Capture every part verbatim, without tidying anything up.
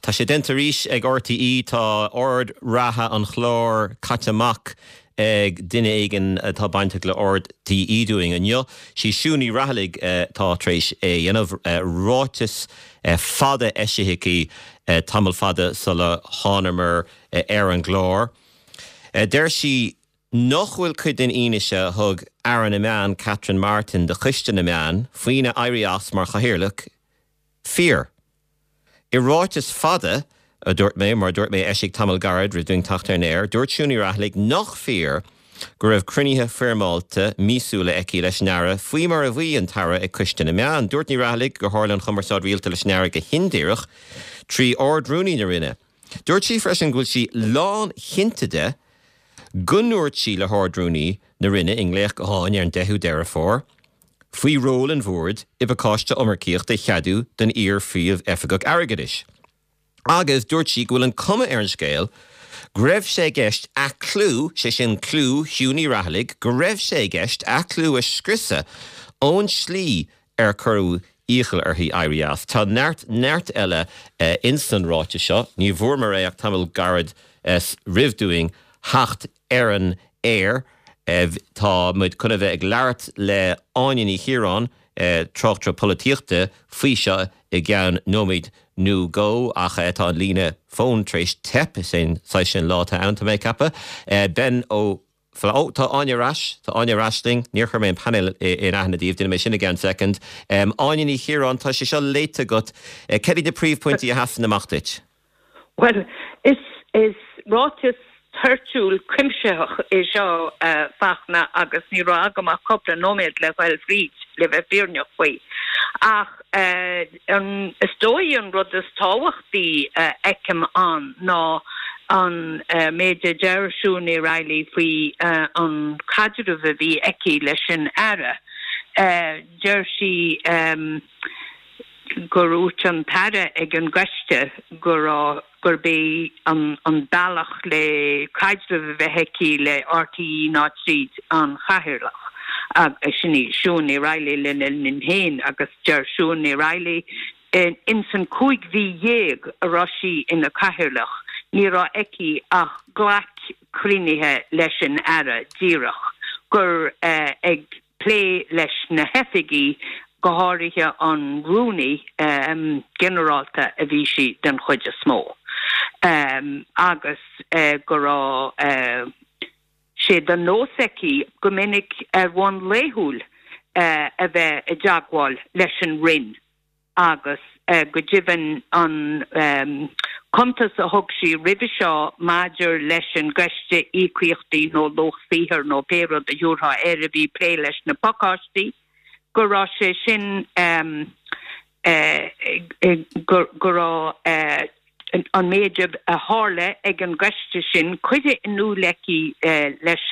Tá sé déanta arís ag R T E. Tá ord reatha an chláir caite amach ag duine éigin atá bainteach le R T E dúinn inniu. Sí Siún Ní Raghallaigh tá tar éis é dhéanamh, ráiteas fada eisithe aici tamall fada sula thánamar ar an gclár. Deir sí nach bhfuil cuid den fhianaise a thug Aire na Meán Catherine Martin do Choiste na Meán faoina éirí as mar chathaoirleach fíor. I ráiteas fada, a dúirt mé, mar dúirt mé, eisithe tamall gairid roimh dúinn teacht ar an aer, dúirt Siún Ní Raghallaigh nach fíor go raibh cruinnithe foirmeálta míosúla aici leis an Aire faoi mar a mhaígh an tAire ag Coiste na Meán. Dúirt Ní Raghallaigh gur tharla an chumarsáid rialta leis an Aire go hindíreach trí Ard-Rúnaí na Roinne. Dúirt sí freisin go bhfuil sí lánchinnte de go ndúirt sí le hArd-Rúnaí na Roinne i nglaoch gutháin ar an deichiú Deireadh Fómhair faoi ról an bhoird i bpacáiste iomarcaíochta a cheadú don iar-phríomh-oifigeach airgeadais. Agus dúirt sí go bhfuil an cuma ar an scéal go raibh sé i gceist a clú, sé sin clú Shiún Ní Raghallaigh, go raibh sé i gceist a clú a scriosadh ón slí ar cuireadh iachall uirthi éirí as. Tá neart neart eile uh, insan ráiteas seo, ní bhfuair mé ach tamall gairid uh, roimh dúinn theacht ar an aer. Uh, tá muid chun a bheith ag labhairt le Áine Ní Chiaráin, uh, tráchtaire polaitíochta, faoi seo i gceann nóiméad nó dhó, ach tá an líne fón tar éis teip sin sin lá ann mé ceapadh. Ben ó ó tá Áine ar ais, tá Áine ar ais linn. Níor chuir mé an panel in aithne daoibh, déanfaidh mé sin i gceann second. Um, Áine Ní Chiaráin, tá sé seo léite agat. Uh, Céard na príomhphointí a sheasann amach duit? Well, is is ráiteas toirtiúil cuimsitheach é seo, uh, Fachtna, agus ní raibh agam ach cúpla nóiméad le dhul fríd le bheith fírinneach faoi. Ach uh, an, is dóigh an rud is tábhachtaí uh, feicim ann ná an uh, méid a deir Siún Ní Raghallaigh faoi uh, an caidreamh a bhí aici leis an Aire. Uh, deir sí um, gur dhúirt an tAire ag an gcoiste go raibh gurb é an, an bealach le caidreamh a bheith aici le R T E ná tríd an chathaoirleach. Agus sin í Siún Ní Raghallaigh lena linn féin, agus deir Siún Ní Raghallaigh in, in san cúig mhí dhéag a raibh sí ina cathaoirleach, ní raibh aici ach glac cruinnithe leis an Aire díreach, gur uh, ag plé leis na hoifigigh, go háirithe an rúnaí um, ginearálta, a bhí sí den chuid is mó. Um, agus uh, go raibh uh, sé de nós aici go minic ar bhonn laethúil uh, a bheith i dteagmháil leis an Roinn, agus uh, go deimhin an um, cuntas a thug sí roimhe seo maidir leis an gcoiste íocaíochtaí nó lucht saothair nó pé rud a thabharfá air a bhí plé leis na pacáistí, go raibh sé sin um, uh, go, go raibh uh, an méid a tharla ag an gcoiste sin curtha in iúl aici uh, leis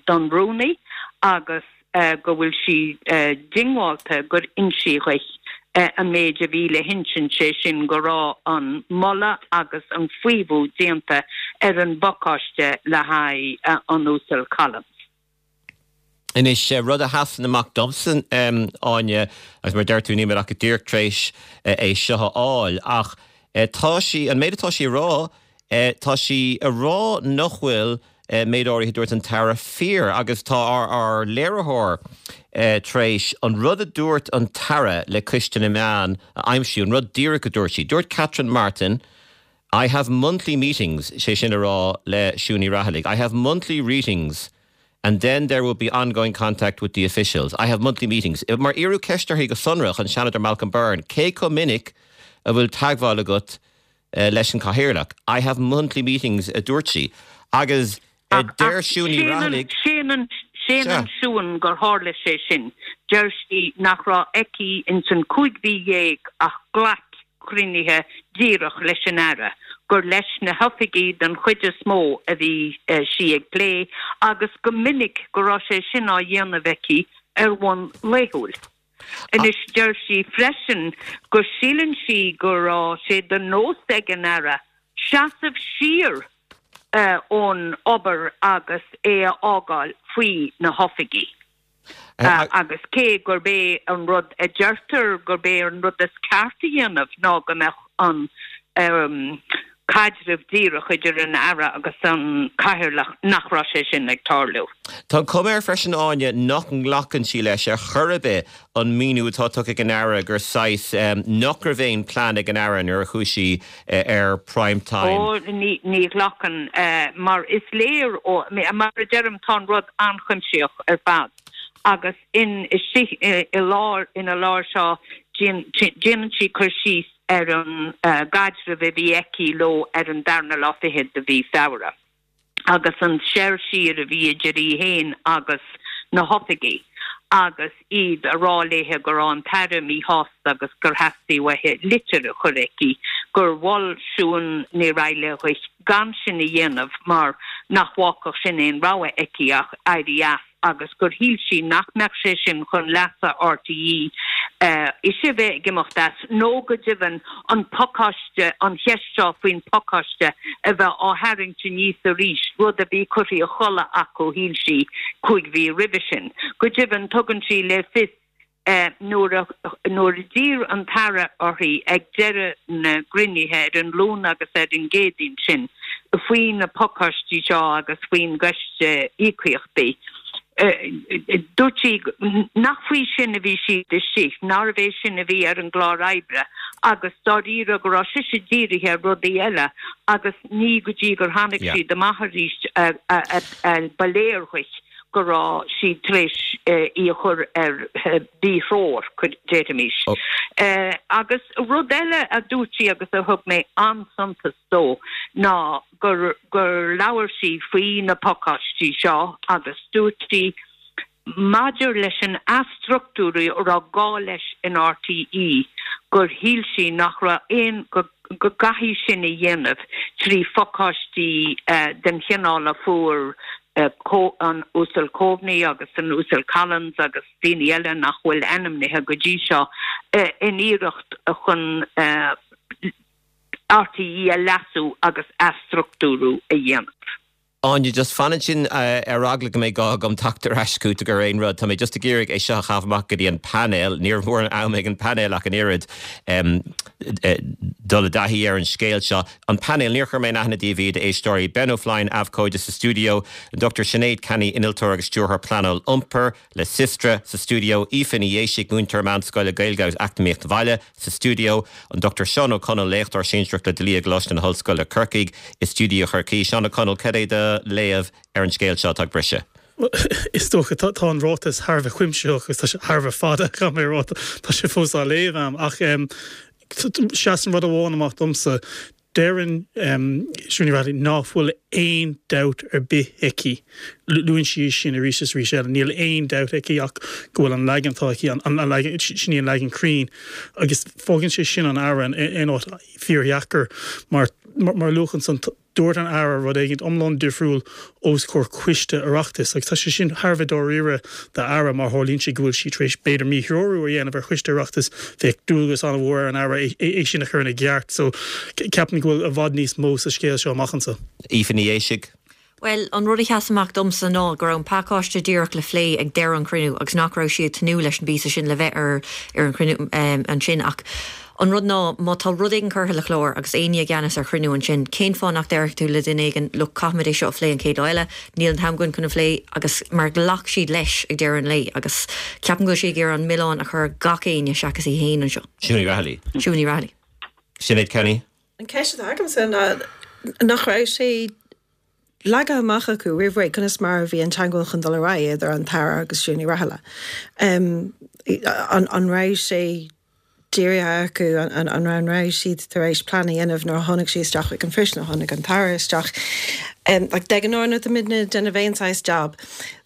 don rúnaí, agus uh, go bhfuil sí uh, diongbháilte gur insíodh uh, an méid a bhí le hinsint, sé sin go raibh an moladh agus an faomhadh déanta ar an bpacáiste le haghaidh uh, an Uasal Collins. Anois, rud a sheasann amach domsa, um, Áine, agus mar deir tú, níl mé ach díreach tar éis uh, é seo a fháil, ach uh, tá sí, an méid atá sí ag rá, uh, tá sí ag rá nach bhfuil uh, méid áirithe dúirt an tAire fíor, agus tá ár, ár léiritheoir uh, tar éis an rud a dúirt an tAire le Coiste na Meán a aimsiú, an rud díreach a dúirt sí. Dúirt Catherine Martin, "I have monthly meetings," sé sin a rá le Siún Ní Raghallaigh. "I have monthly meetings and then there will be ongoing contact with the officials. I have monthly meetings." Mar iarradh ceist uirthi go sonrach, an Seanadóir Malcolm Byrne, cé chomh minic a bhfuil teagmháil agat uh, leis an cathaoirleach? "I have monthly meetings," a dúirt sí. Agus uh, deir Siún Ní Raghallaigh Séanann séanann Siún gur tharla sé sin. Deir sí nach raibh aici in san cúig mhí dhéag ach glac cruinnithe díreach leis an Aire, gur leis na hoifigigh den chuid is mó a bhí uh, sí ag plé, agus go minic go raibh sé sin á dhéanamh aici ar bhonn laethúil. Anois deir sí freisin go síleann sí go raibh sé de nós ag an Aire seasamh siar uh, ón obair agus é a fhágáil faoi na hoifigigh. Uh, agus cé gurb é an rud a deirtear gurb é an rud is ceart a dhéanamh ná go mbeadh an caidreamh díreach idir an Aire agus an Cathaoirleach, nach raibh sé sin ag tarlú. Tá an chuma air freisin, Áine, nach nglacann sí leis ar chor ar bith an míniú atá tugtha ag an Aire gur saghas nach raibh aon plean ag an Aire nuair a chuaigh sí ar Prime Time. Ó, ní ní ghlacann, mar is léir ó, mar a deirim, tá an rud an-chuimsitheach ar fad agus in istigh i lár ina lár seo déanann sí cur síos ar an gcaidreamh a bhí aici leo ar an darna lá fichead de mhí Feabhra agus an soir siar a bhí idir í féin agus na hoifigigh agus iad a rá léithe go raibh an tAire míshásta agus gur theastaigh uaithi litir a chur chuici, gur mhol Siún Ní Raghallaigh di gan sin a dhéanamh mar nach bhfágfadh sin aon rogha aici ach éirí as agus gur shíl sí nach mbeadh sé sin chun leasa R T É ise bheith ag imeacht as nó go deimhin an pacáiste, an cheist seo faoin pacáiste a bheith á tharraingt aníos arís, rud a bhí curtha a chodladh acu, shíl sí, cúig mhí roimhe sin. Go deimhin, tugann sí le fios nuair a nuair a d'iarr an tAire uirthi ag deireadh na gcruinnithe ar an Luan agus ar an gCéadaoin sin faoi na pacáistí seo agus faoin gcoiste íocaíochtaí, dúirt sí nach faoi sin a bhí siad istigh, nárbh é sin a bhí ar an gclár oibre agus dáiríre go raibh sise dírithe ar rudaí eile agus ní go dtí gur tháinig siad amach arís ba léir di go raibh siad tar éis í a chur ar mhíthreoir, déarfaimis. Agus rud eile a dúirt sí agus a thug mé an-suntas dó ná gur gur labhair sí faoi na pacáistí seo agus dúirt sí maidir leis an athstruchtúrú a raibh gá leis in R T É gur shíl sí nach raibh aon go go gcaithfí sin a dhéanamh trí phacáistí den chineál a fuair an Uasal Coveney agus an Uasal Collins agus daoine eile nach bhfuil ainmnithe go dtí seo in iarracht chun R T É a leasú agus athstruchtúrú a dhéanamh. Áine, just fan ansin ar eagla go mbeidh gá agam teacht ar ais chugat ar aon rud. Tá mé just ag iarraidh é seo a chaitheamh amach go dtí an painéal, ní raibh mórán am ag an painéal ach an oiread dul i dtaithí ar an scéal seo. An painéal, níor chuir mé in aithne daoibh iad, éisteoirí. Ben O'Flynn, abhcóide sa stiúideo, an Dochtúir Sinéad Canny, innealtóir agus stiúrthóir pleanáil iompair le Systra sa stiúideo, Aoife Ní Dhéisigh, múinteoir meánscoile Gaeilge agus Eacnamaíocht Bhaile sa stiúideo, an Dochtúir Seán Ó Conaill, léachtóir sinsearach le dlí i gColáiste na hOllscoile Corcaigh i stiúideo Chorcaí. Seán Ó Conaill, cad é do léamh ar an scéal seo atá ag briseadh? Is dócha tá an ráiteas thar a bheith cuimsitheach agus tá sé thar a bheith fada gan mé rá tá sé fós á léamh agam ach um, seasann rud amháin amach domsa. Deireann um, Siún Ní Raghallaigh ná fuil aon dabht ar bith aici. Luann sí sin arís is arís eile, níl aon dabht aici ach go bhfuil an leagan atá aici an, an, an leagan, sin í an leagan cruinn. Agus fágann sé sin an Aire in áit fíordheacair mar mar, mar luachan san dúirt an Aire rud éigin iomlán difriúil os comhair coiste Oireachtais, agus tá sé sin thar a bheith dáiríre d'Aire mar tharlaíonn sé go bhfuil sí tar éis b'fhéidir míthreorú a dhéanamh ar choiste Oireachtais. Bheadh dualgas an-mhór ar an Aire é sin a chur ina gceart, so ceapaim go bhfuil i bhfad níos mó sa scéal seo amach anseo. Aoife Ní Dhéisigh. Well, an rud a sheas amach domsa ná go raibh an pacáiste díreach le plé ag deireadh an chruinniú agus nach raibh siad tnúth leis an bpíosa sin le bheith ar ar an chruinniú um, ansin ach an rud ná má tá rud éigin curtha le clár agus éinne i gceannas ar chruinniú ansin, cén fáth nach déarfadh tú le duine éigin look caithfimid é seo a phlé an chéad lá eile, níl an t-am againn chun a phlé agus mar ghlac siad leis ag deireadh an lae agus ceapaim go bhfuil sí ag iarraidh an milleán a chur gach éinne seachas í féin anseo. Siún Ní Raghallaigh. Siún Ní Raghallaigh. Sinéad Kenny. An ceist atá agamsa ná nach raibh sé leagtha amach acu roimh ré conas mar a bhí an teagmháil chun dul ar aghaidh idir an tAire agus Siún Ní Raghallaigh. Um, an, an raibh sé dírithe acu an, an, an an raibh siad tar éis plean a dhéanamh nuair a tháinig sí isteach ag an fris nó tháinig an tAire isteach. Um, like, de ghnáth nuair atá déanamh aon saghas job,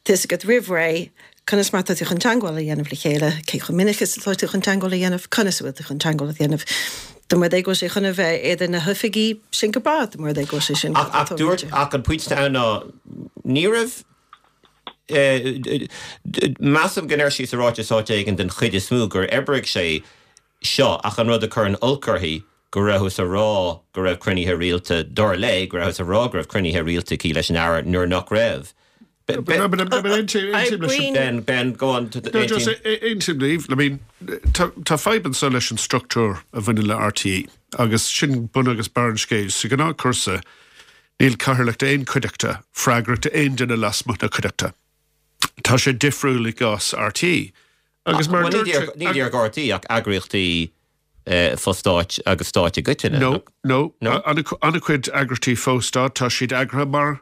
Tá a fhios agat roimh ré conas mar tá tú chun teagmháil a dhéanamh le chéile, cé chomh minic is atá tú chun teagmháil a dhéanamh, conas bhfuil tú chun teagmháil a dhéanamh. Dá mba rud é go bhfuil sé chun a bheith idir na hoifigí sin go breá, dá mba rud é go bhfuil sé sin Ach ach dúirt ach an pointe ann ná ní raibh measaim go ndeir sí sa ráiteas áit éigin den chuid is mó gur oibrigh sé seo ach an rud a chuireann olc uirthi go rabhthas a rá go raibh cruinnithe rialta dar léi go rabhthas a rá go raibh cruinnithe rialta aici leis an Aire nuair nach raibh. Ben, Ben, Ben, go on. Aontaím libh, I mean, tá fadhb anseo leis an struchtúr a bhaineann le RTÉ agus sin bun agus barr an scéil sa ghnáthchúrsa níl cathaoirleach aon chuideachta freagrach d'aon duine lasmuigh na cuideachta. Tá sé difriúil i gcás RTÉ. Agus mar ní RTÉ ach eagraíochtaí fo-stáit agus stáit i gcoitinne. No, no, an-chuid eagraíochtaí fo-stáit tá siad eagraithe mar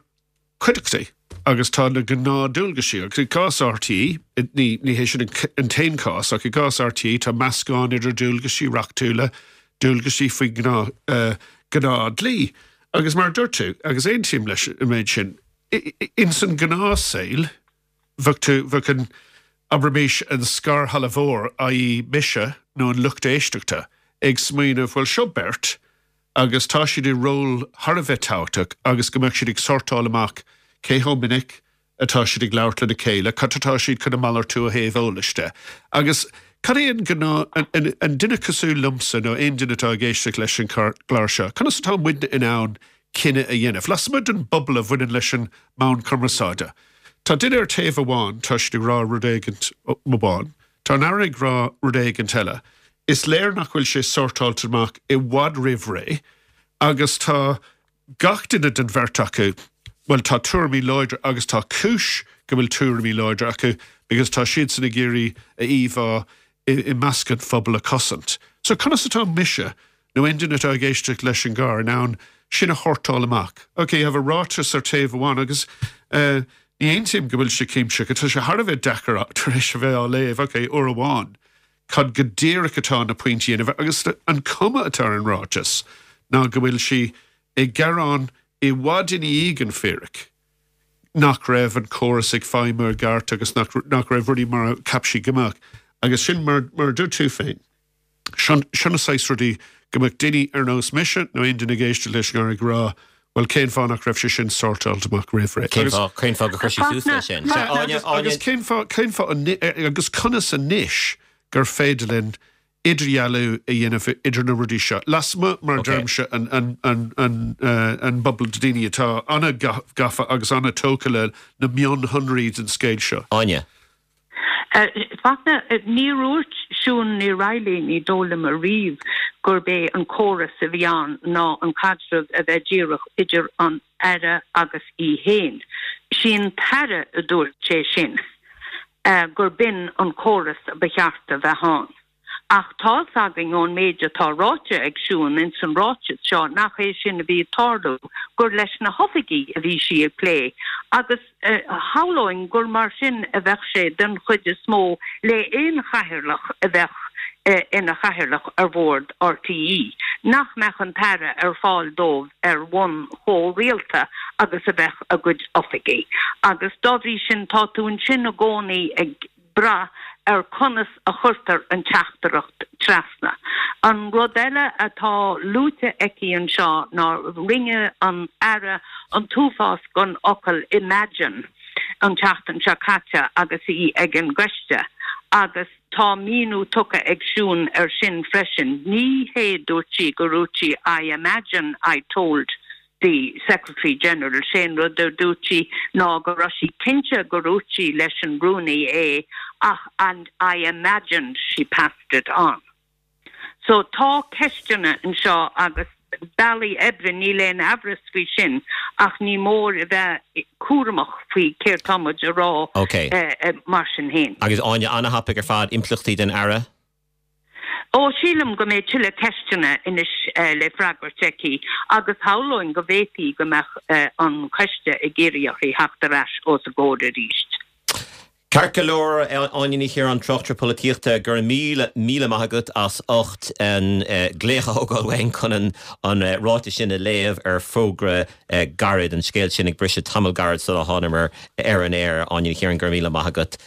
cuideachtaí. agus tá na gnáthdualgaisí agus i gcás RTÉ ní ní hé sin an t-aon chás ach i gcás RTÉ tá meascán idir dualgaisí reachtúla dualgaisí faoi gnáthdhlí. Agus mar dúirt tú agus aontaím leis an méid sin in san gnáthshaol bheadh tú bheadh an abraimis an scairshealbhóir i.e. mise nó an lucht éisteachta ag smaoineamh bhuel seo beirt agus tá siad i ról thar a bheith tábhachtach agus go mbeadh siad ag sortáil amach cé chomh minic atá siad ag labhairt lena chéile, cad atá siad chun a malartú ó thaobh eolais de. Agus cad é an gnáth an duine cosúil liomsa nó aon duine atá ag éisteacht leis an gclár seo, conas atá muidne in ann cinneadh a dhéanamh. Lasmuigh den bpobal a bhaineann leis an meán cumarsáide. Tá duine ar taobh amháin tá siad ag rá rud éigin amháin, Tá an Aire ag rá rud éigin eile. Is léir nach bhfuil sé sortáilte amach i bhfad roimh ré agus tá gach duine den bheirt acu Well tá tuairimí láidre agus tá cúis go bhfuil tuairimí láidre acu because tá siad san ag iarraidh a íomhá i measc an phobail a chosaint. So conas atá mise nó aon duine atá ag éisteacht leis an gclár in ann sin a shórtáil amach. Ok, have a ráiteas ar taobh amháin agus uh, ní aontaím go bhfuil sé cuimsitheach, tá sé thar a bheith deacair tar éis a bheith á léamh, ok, uair amháin. Cad go díreach atá na pointí agus an cuma atá ar an ráiteas ná go bhfuil sí ag gearán i bhfad ina dhiaidh an fíric nach raibh an córas ag feidhmiú i gceart agus nach, nach raibh rudaí mar a cheap sí go mbeadh. Agus sin mar, mar dúirt tú féin. Sin na saghas rudaí go mbeadh daoine ar nós mise nó aon duine ag éisteacht leis an ag rá, Well cén fáth nach raibh sé sin sortáilte amach roimh ré. Cén fáth gur chuir sí suas leis sin. Agus cén fáth agus conas anois gur féidir linn idirdhealú a dhéanamh idir na rudaí seo. Lasmuigh mar deirimse an, an, an, an, uh, an bpobal daoine atá an-ghafa agus an-tógtha le na mionshonraí den scéal seo. Áine. Uh, Fachtna níor dhúirt Siún Ní Raghallaigh ní dóigh liom ariamh gurb é an córas a bhí ann ná an caidreamh a bheith díreach idir an Aire agus í féin. Sin tAire a dúirt sé sin uh, gur b'in an córas a ba cheart a bheith ann. Ach tá againn ón méid atá ráite ag Siún in san ráiteas seo nach é sin a bhí ag tarlú gur leis na hoifigí a bhí sí ag plé. agus uh, shamhlóinn gur mar sin a bheadh sé den chuid is mó le aon chathaoirleach a bheadh uh, ina chathaoirleach ar bhord RTÉ. Nach mbeadh an tAire ar fáil dóibh ar bhonn chomh rialta agus a bheadh a gcuid oifigí. Agus dá bhrí sin tá tú ansin i gcónaí ag brath ar conas a chuirtear an teachtaireacht trasna. An rud eile atá luaite aici anseo ná rinne an Aire an t-uafás den fhocal imagine an tseachtain seo caite agus í ag an gcoiste agus tá míniú tugtha ag Siún ar sin freisin. Ní hé dúirt sí go dúirt sí I imagine I told the Secretary General sin rud a dúirt sí ná go raibh sí cinnte go dúirt sí leis an rúnaí é ach and I imagined she passed it on. So tá ceisteanna anseo agus bealaí oibre níl aon amhras faoi sin ach ní mór a bheith cúramach faoi céard atáimid a rá okay. uh, uh, mar sin féin. Agus Áine an-thapaidh ar fad impleachtaí den Aire? Ó sílim go mbeidh tuilleadh ceisteanna anois uh, le freagairt aici agus shamhlóinn go bhféadfaí go mbeadh uh, an coiste ag iarraidh uirthi theacht ar ais os a gcomhair arís. Ceart go leor Áine Ní Chiaráin tráchtaire polaitíochta gur míle míle maith agat as ucht an uh, glaoch a thógáil uainn chun an an uh, ráiteas sin a léamh ar fógra uh, gairid an scéal sin ag briseadh tamall gairid sula thánamar ar an aer Áine Ní Chiaráin gur míle maith agat